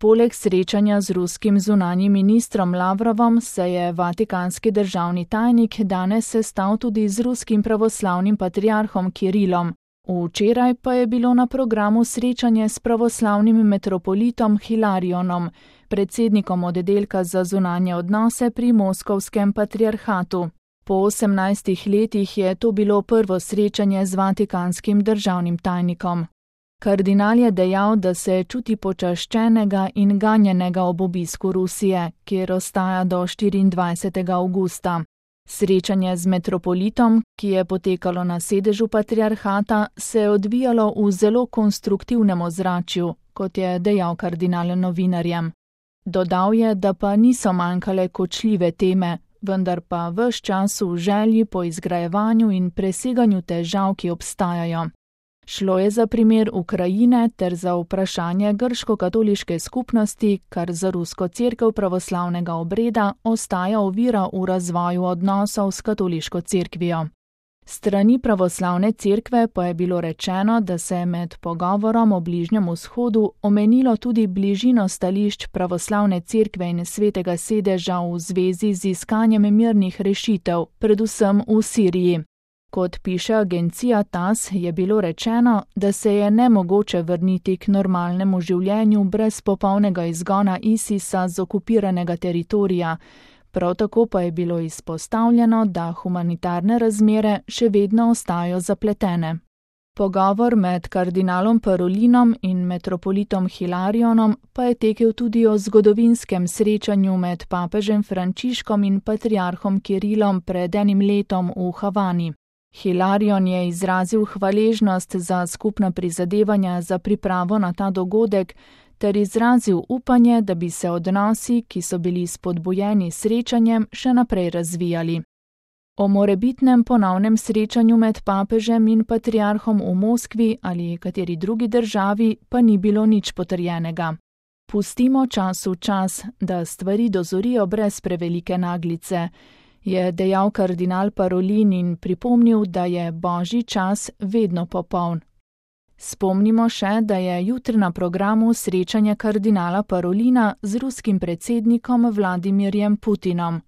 Poleg srečanja z ruskim zunanjim ministrom Lavrovom se je vatikanski državni tajnik danes sestal tudi z ruskim pravoslavnim patriarhom Kirilom. Včeraj pa je bilo na programu srečanje s pravoslavnim metropolitom Hilarionom, predsednikom oddelka za zunanje odnose pri Moskovskem patriarhatu. Po 18 letih je to bilo prvo srečanje z vatikanskim državnim tajnikom. Kardinal je dejal, da se čuti počaščenega in ganjenega ob obisku Rusije, kjer ostaja do 24. avgusta. Srečanje z metropolitom, ki je potekalo na sedežu patriarhata, se je odvijalo v zelo konstruktivnem ozračju, kot je dejal kardinal novinarjem. Dodal je, da pa niso manjkale kočljive teme, vendar pa ves čas v želji po izgrajevanju in preseganju težav, ki obstajajo. Šlo je za primer Ukrajine ter za vprašanje grško-katoliške skupnosti, kar za rusko cerkev pravoslavnega obreda ostaja ovira v razvoju odnosov s katoliško cerkvijo. Strani pravoslavne cerkve pa je bilo rečeno, da se je med pogovorom o Bližnjem vzhodu omenilo tudi bližino stališč pravoslavne cerkve in svetega sedeža v zvezi z iskanjem mirnih rešitev, predvsem v Siriji. Kot piše agencija TASS, je bilo rečeno, da se je nemogoče vrniti k normalnemu življenju brez popolnega izgona ISIS-a z okupiranega teritorija. Prav tako pa je bilo izpostavljeno, da humanitarne razmere še vedno ostajajo zapletene. Pogovor med kardinalom Parolinom in metropolitom Hilarionom pa je tekel tudi o zgodovinskem srečanju med papežem Frančiškom in patriarhom Kirilom pred enim letom v Havani. Hilarion je izrazil hvaležnost za skupna prizadevanja za pripravo na ta dogodek ter izrazil upanje, da bi se odnosi, ki so bili spodbujeni srečanjem, še naprej razvijali. O morebitnem ponovnem srečanju med papežem in patriarhom v Moskvi ali kateri drugi državi pa ni bilo nič potrjenega. Pustimo času čas, da stvari dozorijo brez prevelike naglice, je dejal kardinal Parolin in pripomnil, da je božji čas vedno popoln. Spomnimo še, da je jutri na programu srečanje kardinala Parolina z ruskim predsednikom Vladimirjem Putinom.